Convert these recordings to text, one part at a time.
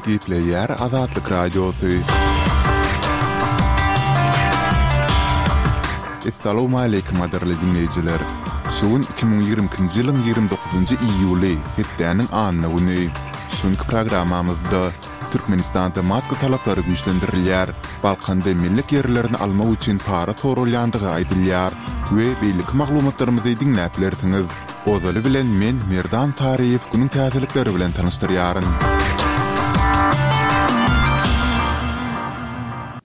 Gepleýär Azatlyk Radiosy. Essalawmaleýkim gadyrly diňleýjiler! Şu gün 2022-nji ýylyň 29-njy iýuly, hepdäniň anna güni. Şu günki programmamyzda Türkmenistanda maska talaplary güýçlendirilýär, Balkanda mellek ýerlerini almak üçin para soralýandygy aýdylýar we beýleki maglumatlarymyzy diňläp bilersiňiz. Ozaly bilen men Merdan Saryýew günüň täzelikleri bilen tanyşdyrýaryn.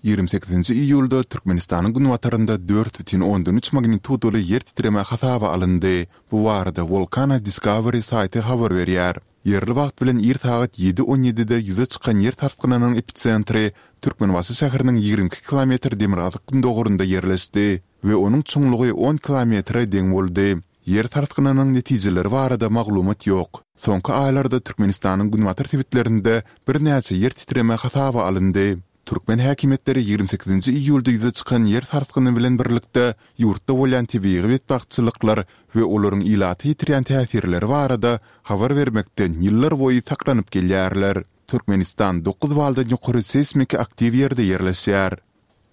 28-nji iýulda Türkmenistanyň günbatarynda 4,3 magnitudaly ýer titreme hasaba alyndy. Bu barada Volcano Discovery saýty habar berýär. Ýerli wagt bilen ir sagat ýedi on ýedide ýüze çykan ýer sarsgynynyň episentri Türkmenbaşy şäheriniň 22 kilometr demirgazyk-gündogarynda ýerleşdi we onuň çuňlugy on kilometre deň boldy. Ýer sarsgynynyň netijeleri barada maglumat ýok. Soňky aýlarda Türkmenistanyň günbatar sebitlerinde birnäçe ýer titreme hasaba alyndy. Türkmen häkimiýetleri 28-nji iýulda ýüze çykan ýer sarsgyny bilen birlikde ýurtda bolýan tebigy betbagtçylyklar we olaryň ilata ýetirýän täsirleri barada habar bermekden ýyllarboýy saklanyp gelýärler. Türkmenistan dokuz baldan ýokary seýsmiki aktiw ýerde ýerleşýär.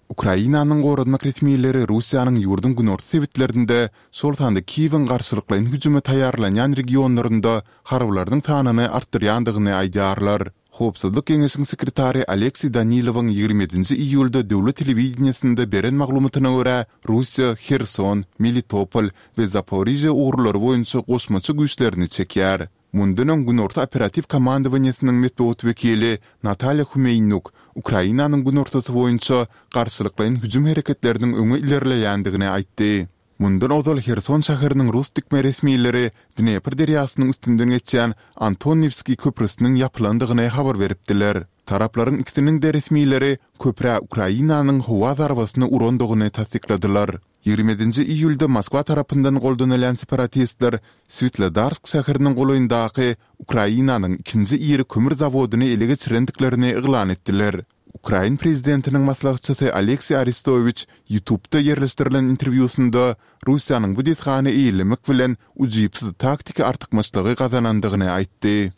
Ukrainanyň goranmak resmileri Russiýanyň ýurduň günorta sebitlerinde, şol sanda Kiýewiň garşylyklaýyn hüjüme taýýarlanýan regionlarynda harbylarynyň sanyny artdyrýandygyny aýdýarlar. Howpsuzlyk geňeşiň sekretary Alekseý Danilowyň 27-nji iýulda döwlet telewideniýesinde beren maglumatyna görä, Russiýa Herson, Melitopol we Zaporižýa ugurlary boýunça goşmaça güýçlerini çekýär. Mundan öň Günorta operatiw komandowaniýesiniň metbugat wekili Natalýa Humeýnuk Ukrainanyň günortasy boýunça garşylyklaýyn hüjüm hereketleriniň öňe ilerleýändigini aýtdy. Mundan ozal Herson şäheriniň rus dikme resmileri Dnepr derýasynyň üstünden geçýän Antoniwskiý köprüsiniň ýapylandygyny habar beripdiler. Taraplaryň ikisiniň-de resmileri köprä Ukrainanyň howa zarbasyny urandygyny tassykladylar. 27-nji iýulda Moskwa tarapyndan goldanylýan separatistler Switlodarsk şäheriniň golaýyndaky Ukrainanyň ikinji iri kömür zawodyny ele geçirendiklerini yglan etdiler. Ukrain prezidentiniň maslahatçysy Alekseý Arestowiç YouTube-da ýerleşdirilen interwýusynda Russiýanyň bu desgany eýelemek bilen ujypsyz taktiki artykmaçlygy gazanandygyny aýtdy.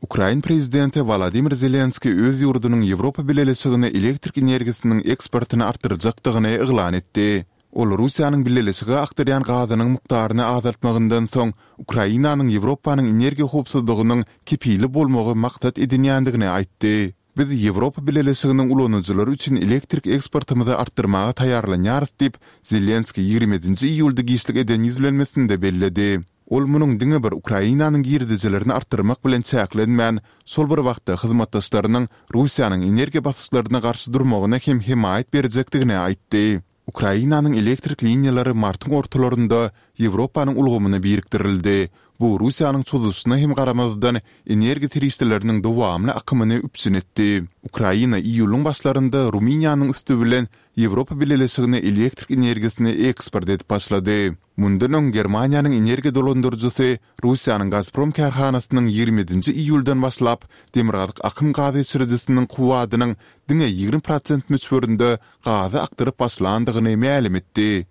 Ukrain prezidenti Wolodymyr Zelenskiý öz ýurdunyň Ýewropa Bileleşigine elektrik energiýasynyň eksportyny artdyrjakdygyny yglan etdi. Ol Russiýanyň Bileleşige akdyrýan gazynyň mukdaryny azaltmagyndan soň Ukrainanyň Ýewropanyň energiýa howpsuzlygynyň kepili bolmagy maksat edinýändigini aýtdy. Biz Ýewropa Bileleşiginiň ulanyjylary üçin elektrik eksportymyzy artdyrmaga taýýarlanýarys diýip, Zelenskiý 27-nji iýulda giçlik eden ýüzlenmesinde belledi. Ol munuň diňe bir Ukrainanyň girdejilerini artdyrmak bilen çäklenmän, şol bir wagtda hyzmatdaşlarynyň Russiýanyň energiýa basyşlaryna garşy durmagyna hem hemaýat berjekdigini aýtdy. Ukrainanyň elektrik liniýalary martyň ortalarynda Ýewropanyň ulgamyna birikdirildi. Bu Russiýanyň çozuşyna hem garamazdan, energiýa serişdeleriniň dowamly akymyny üpjün etdi. Ukraina iýulyň başlarynda Rumyniýanyň üsti bilen Ýewropa Bileleşigine elektrik energiýasyny eksport edip başlady. Mundan öň Germaniýanyň energiýa dolandyryjysy Russiýanyň Gazprom kärhanasynyň 27-nji iýuldan başlap Demirgazyk akym gaz geçirijisiniň kuwwadynyň diňe 20 prosent möçberinde gazy akdyryp başlandygyny mälim etdi.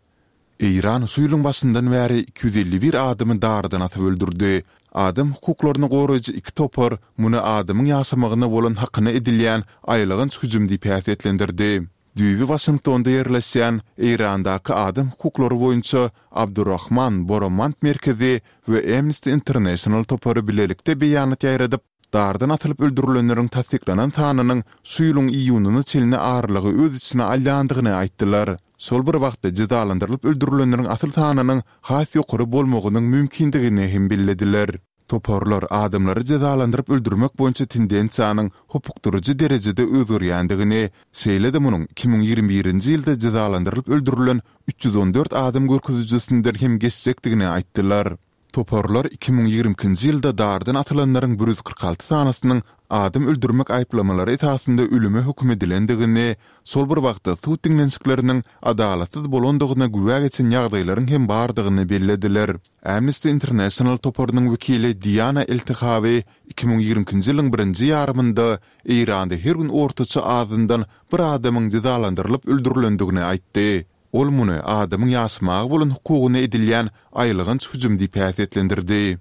Eýran şu ýylyň başyndan bäri 251 adamy dardan asyp öldürdi. Adam hukuklaryny goraýjy iki topar muny adamyň ýaşamagyna bolan hakyna edilýän aýylganç hüjüm diýip häsiýetlendirdi. Düýbi Waşingtonda ýerleşýän Eýrandaky adam hukuklary boýunça Abdurrahman Boromand merkezi we Amnesty International topary bilelikde beýanat ýaýradyp, dardan asylyp öldürilenleriň tassyklanan sanynyň şu ýylyň iýunyna çenli aralygy öz içine alýandygyny aýtdylar. Şol bir wagtda jezalandyrylyp öldürilenleriň asyl sanynyň has ýokary bolmagynyň mümkindigini hem bellediler. Toparlar adamlary jezalandyryp öldürmek boýunça tendensiýanyň hopukdyryjy derejede özgerýändigini, şeýle-de munuň 2021-nji ýylda jezalandyrylyp öldürilen 314 adam görkezijisinden hem geçjekdigini aýtdylar. Toparlar 2022-nji ýylda dardan asylanlaryň 146 sanysynyň adam öldürmek aýyplamalary esasynda ölüme höküm edilendigini, şol bir wagtda sud diňlenişikleriniň adalatsyz bolandygyna güwä geçen ýagdaýlaryň hem bardygyny bellediler. Amnesty International toparynyň wekili Diana Eltehawi 2022-nji ýylyň birinji ýarymynda Eýranda her gün ortaça azyndan bir adamyň jezalandyrylyp öldürilendigini aýtdy. Ol muny adamyň ýaşamaga bolan hukugyna edilýän aýylganç hüjüm diýip häsiýetlendirdi.